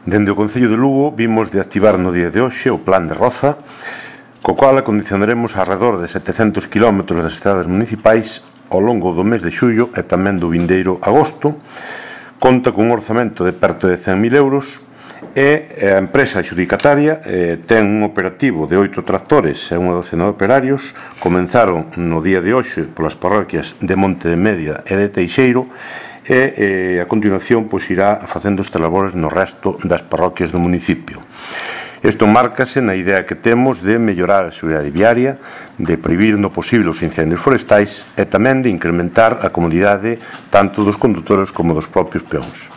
Dende o Concello de Lugo vimos de activar no día de hoxe o Plan de Roza, co cual acondicionaremos arredor de 700 km das estradas municipais ao longo do mes de xullo e tamén do vindeiro agosto. Conta cun orzamento de perto de 100.000 euros e a empresa adxudicataria ten un operativo de 8 tractores e unha docena de operarios. Comenzaron no día de hoxe polas parroquias de Monte de Media e de Teixeiro e a continuación irá facendo estas labores no resto das parroquias do municipio. Isto márcase na idea que temos de mellorar a seguridade viaria, de prohibir no posible os incendios forestais e tamén de incrementar a comodidade tanto dos condutores como dos propios peóns.